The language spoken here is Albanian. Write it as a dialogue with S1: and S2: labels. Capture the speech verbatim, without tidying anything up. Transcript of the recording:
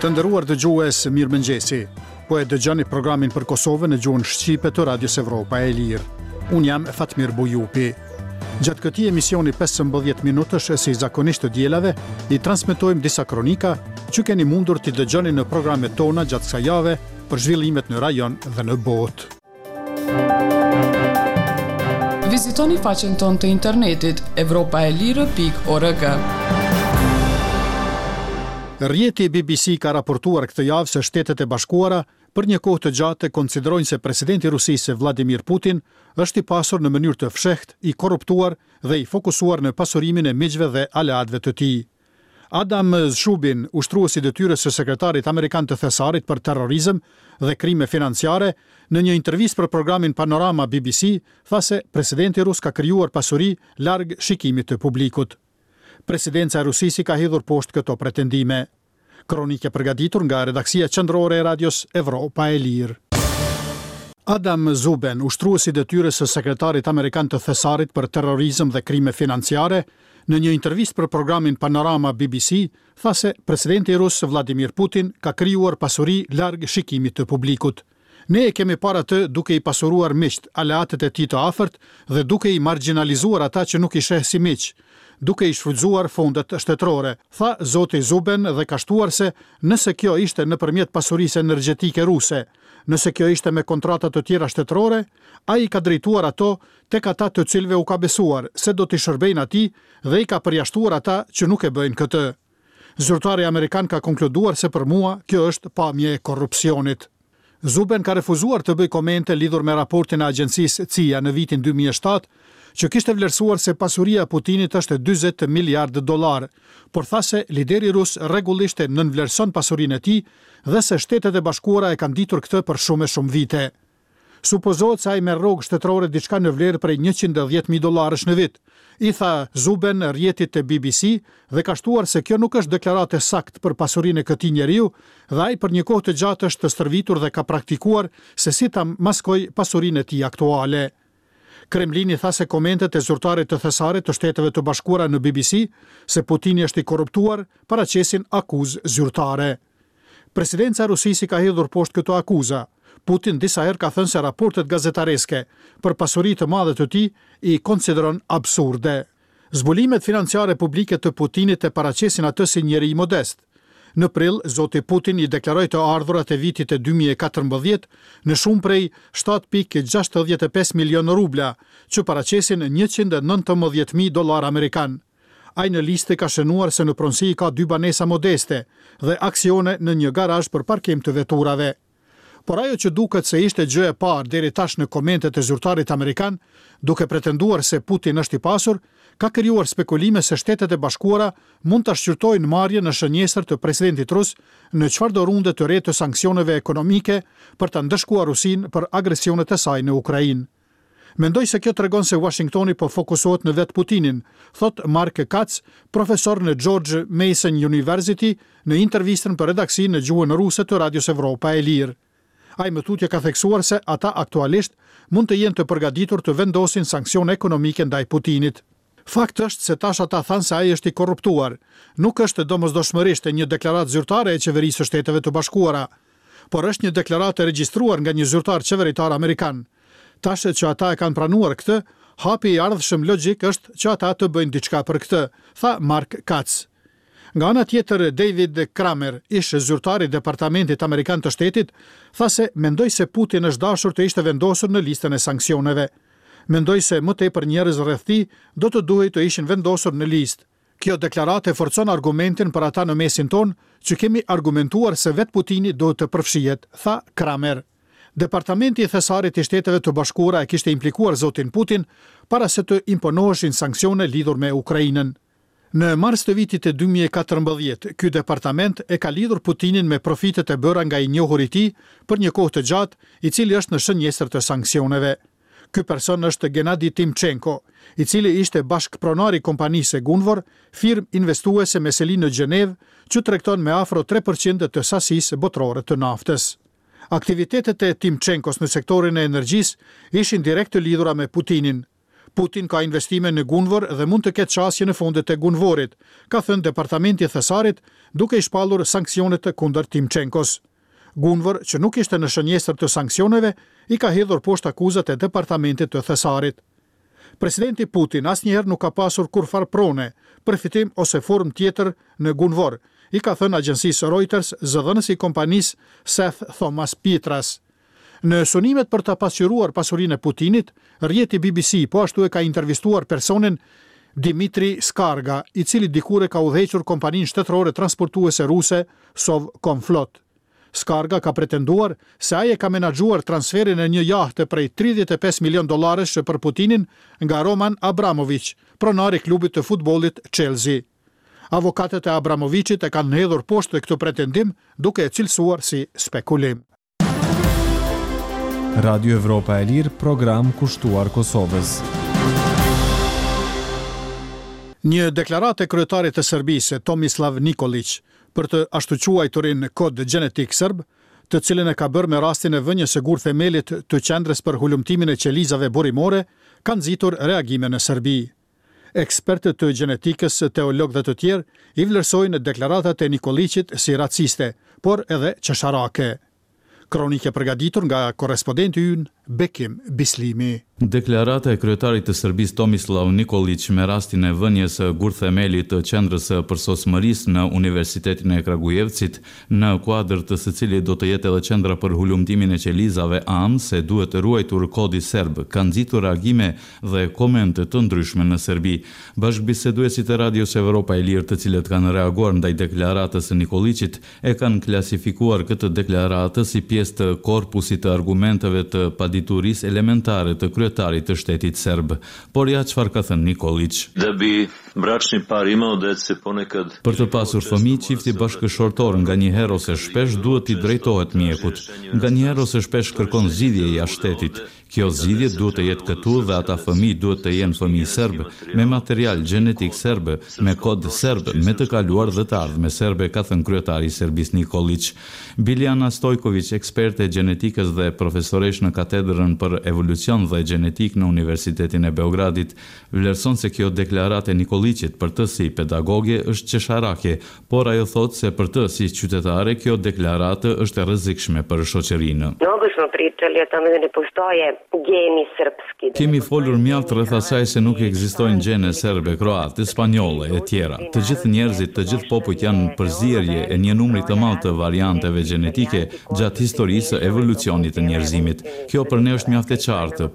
S1: Të nderuar dëgjues, mirëmëngjesi. Po e dëgjoni programin për Kosovën në gjuhën shqipe të Radios Evropa e Lirë. Unë jam Fatmir Bujupi. Gjatë këtij emisioni pesëmbëdhjetë minutësh, si zakonisht të dielave, i transmetojmë disa kronika që keni mundur t'i dëgjoni në programet tona gjatë kësaj jave për zhvillimet në rajon dhe në botë.
S2: Vizitoni faqen tonë të internetit evropaelire pikë org.
S1: Rrjeti B B C ka raportuar këtë javë se Shtetet e Bashkuara për një kohë të gjatë konsiderojnë se presidenti i Rusisë Vladimir Putin është i pasur në mënyrë të fshehtë, i korruptuar dhe i fokusuar në pasurimin e miqve dhe aleatëve të tij. Adam Szubin, ushtrues i detyrës së sekretarit amerikan të Thesarit për terrorizëm dhe krime financiare, në një intervistë për programin Panorama B B C, tha se presidenti rus ka krijuar pasuri larg shikimit të publikut. Presidenca e Rusisë i ka hedhur poshtë këto pretendime. Kronikë e përgatitur nga redaksia qendrore e Radios Evropa e Lirë. Adam Zuben, ushtrues i detyrës së sekretarit amerikan të Thesarit për terrorizëm dhe krime financiare, në një intervistë për programin Panorama B B C, tha se presidenti rus Vladimir Putin ka krijuar pasuri larg shikimit të publikut. Ne e kemi parë atë duke i pasuruar miqt, aleatët e tij të afërt dhe duke i marginalizuar ata që nuk i sheh si miq, duke i shfrytzuar fondet shtetërore, tha zoti Zuben dhe ka shtuar se nëse kjo ishte nëpërmjet pasurisë energjetike ruse, nëse kjo ishte me kontrata të tjera shtetërore, ai i ka drejtuar ato tek ata të cilëve u ka besuar se do t'i shërbejnë atij dhe i ka përjashtuar ata që nuk e bëjnë këtë. Zyrtari amerikan ka konkluduar se për mua kjo është pamje e korrupsionit. Zuben ka refuzuar të bëjë komente lidhur me raportin e agjencisë C I A në vitin dy mijë e shtatë, që kishte vlerësuar se pasuria e Putinit është dyzet miliardë dollar, por tha se lideri rus rregullisht e nënvlerëson pasurinë e tij dhe se Shtetet e Bashkuara e kanë ditur këtë për shumë e shumë vite. Supozohet se ai merr rrogë shtetërore diçka në vlerë prej njëqind e dhjetë mijë dollarësh në vit, i tha Zuben rrjetit të B B C dhe ka shtuar se kjo nuk është deklaratë e saktë për pasurinë e këtij njeriu dhe ai për një kohë të gjatë është stërvitur dhe ka praktikuar se si ta maskojë pasurinë e tij aktuale. Kremlini tha se komentet e zyrtarit të Thesarit të Shteteve të Bashkuara në B B C se Putini është i korruptuar paraqesin akuzë zyrtare. Presidenca e Rusisë i ka hedhur poshtë këto akuza. Putin disa herë ka thënë se raportet gazetareske për pasuri të madhe të tij i konsideron absurde. Zbulimet financiare publike të Putinit e paraqesin atë si njeri modest. Në prill, zoti Putin i deklaroi të ardhurat e vitit dy mijë e katërmbëdhjetë në shumë prej shtatë pikë gjashtëdhjetë e pesë milion rubla, që paraqesin njëqind e nëntëmbëdhjetë mijë dollar amerikan. Ai në listë ka shënuar se në pronësi ka dy banesa modeste dhe aksione në një garazh për parkim të veturave. Por ajo që duket se ishte gjë e parë deri tash në komentet e zyrtarit amerikan, duke pretenduar se Putin është i pasur, ka krijuar spekulime se Shtetet e Bashkuara mund ta shqyrtojnë marrjen në shënjestër të presidentit rus në çfarëdo runde të re të sanksioneve ekonomike për ta ndëshkuar Rusinë për agresionet e saj në Ukrainë. Mendoj se kjo tregon se Washingtoni po fokusohet në vetë Putinin, thot Mark Katz, profesor në George Mason University, në intervistën për redaksinë në gjuhën ruse të Radios Evropa e Lirë. Ai më tutje ka theksuar se ata aktualisht mund të jenë të përgatitur të vendosin sanksione ekonomike ndaj Putinit. Fakt është se tash ata thanë se ai është i korruptuar. Nuk është domosdoshmërisht një deklaratë zyrtare e qeverisë së Shteteve të Bashkuara, por është një deklaratë e regjistruar nga një zyrtar qeveritar amerikan. Tash që ata e kanë pranuar këtë, hapi i ardhshëm logjik është që ata të bëjnë diçka për këtë, tha Mark Katz. Nga ana tjetër, David Kramer, ish zyrtar i Departamentit Amerikan të Shtetit, tha se mendoj se Putin është dashur të ishte vendosur në listën e sanksioneve. Mendoj se më tepër njerëz rreth tij do të duhej të ishin vendosur në listë. Kjo deklaratë e forcon argumentin për ata në mesin tonë që kemi argumentuar se vetë Putini duhet të përfshihet, tha Kramer. Departamenti i Thesarit i Shteteve të Bashkuara e kishte implikuar zotin Putin para se të imponoheshin sanksione lidhur me Ukrainën. Në mars të vitit dy mijë e katërmbëdhjetë, ky departament e ka lidhur Putinin me profitet e bëra nga i njohuri i tij për një kohë të gjatë, i cili është në shënjestër të sanksioneve. Ky person është Gennady Timchenko, i cili ishte bashkëpronar i kompanisë Gunvor, firmë investuese me seli në Gjenevë, që tregton me afro tre përqind të sasisë botërore të naftës. Aktivitetet e Timchenkos në sektorin e energjisë ishin direkt të lidhura me Putinin. Putin ka investime në Gunvor dhe mund të ketë qasje në fondet e Gunvorit, ka thënë Departamenti i Thesarit, duke i shpallur sanksionet kundër Timchenkos. Gunvor, që nuk ishte në shënjestër të sanksioneve, i ka hedhur poshtë akuzat e Departamentit të Thesarit. Presidenti Putin asnjëherë nuk ka pasur kurrfarë prone, përfitim ose formë tjetër në Gunvor, i ka thënë agjencisë Reuters zëdhënësi i kompanisë Seth Thomas Petras. Në sunimet për të pasqyruar pasurinë e Putinit, rrjeti B B C po ashtu e ka intervistuar personin Dimitri Skarga, i cili dikur e ka udhëhequr kompaninë shtetërore transportuese ruse Sovcomflot. Skarga ka pretenduar se ai e ka menaxhuar transferin e një jahte prej tridhjetë e pesë milion dollarësh për Putinin nga Roman Abramovich, pronar i klubit të futbollit Chelsea. Avokatët e Abramovichit e kanë hedhur poshtë këtë pretendim, duke e cilësuar si spekulim.
S3: Radio Evropa e Lirë, program kushtuar Kosovës.
S1: Një deklaratë e kryetarit të Serbisë, Tomislav Nikolic, për të ashtuquajturin kod gjenetik serb, të cilën e ka bërë me rastin e vënies së gur themelit të qendrës për hulumtimin e qelizave burimore, ka nxitur reagime në Serbi. Ekspertët të gjenetikës, teologë dhe të tjerë i vlerësojnë deklaratat e Nikoliqit si raciste, por edhe qesharake. Kronikë e përgatitur nga korrespondenti ynë Bekim Bislimi.
S4: Deklarata e kryetarit të Serbisë Tomislav Nikolic me rastin e vënies së gurthemelit të qendrës së përsosmërisë në Universitetin e Kragujevcit, në kuadër të së cilit do të jetë edhe qendra për hulumtimin e qelizave amë, se duhet ruajtur kodi serb, ka nxitur reagime dhe komente të ndryshme në Serbi. Bashkëbiseduesit e Radios Evropa e Lirë, të cilët kanë reaguar ndaj deklaratës së Nikoliqit, e kanë klasifikuar këtë deklaratë si pjesë të korpusit të argumenteve të paditurisë elementare të kryetarit të shtetit serb. Por ja çfarë ka thënë Nikolic.
S5: Da bi bračni par imao dece ponekad.
S4: Për të pasur fëmijë, çifti bashkëshortor nga një herë ose shpesh duhet t'i drejtohet mjekut. Nga një herë ose shpesh kërkon zgjidhje jashtë shtetit. Kjo zgjidhje duhet të jetë këtu dhe ata fëmijë duhet të jenë fëmijë serb, me material gjenetik serb, me kod serb, me të kaluar dhe të ardhme serbe, ka thënë kryetari i Serbisë Nikolic. Biljana Stojković, eksperte e gjenetikës dhe profesoresh në katedrën për evolucion dhe gjenetik në Universitetin e Beogradit, vlerëson se kjo deklaratë e Nikoliqit për të si pedagoge është qesharake, por ajo thotë se për të si qytetare kjo deklaratë është e rrezikshme për shoqërinë.
S6: Mnogo smo pričali o tome da ne postoje geni srpski.
S4: Kemi folur mjaft rreth asaj se nuk ekzistojnë gjene serbe, kroate, spanjolle e tjera. Të gjithë njerëzit, të gjithë popujt janë përzierje e një numri të madh të varianteve gjenetike gjatë historisë së evolucionit të njerëzimit. Kjo për ne është mjaft e qartë.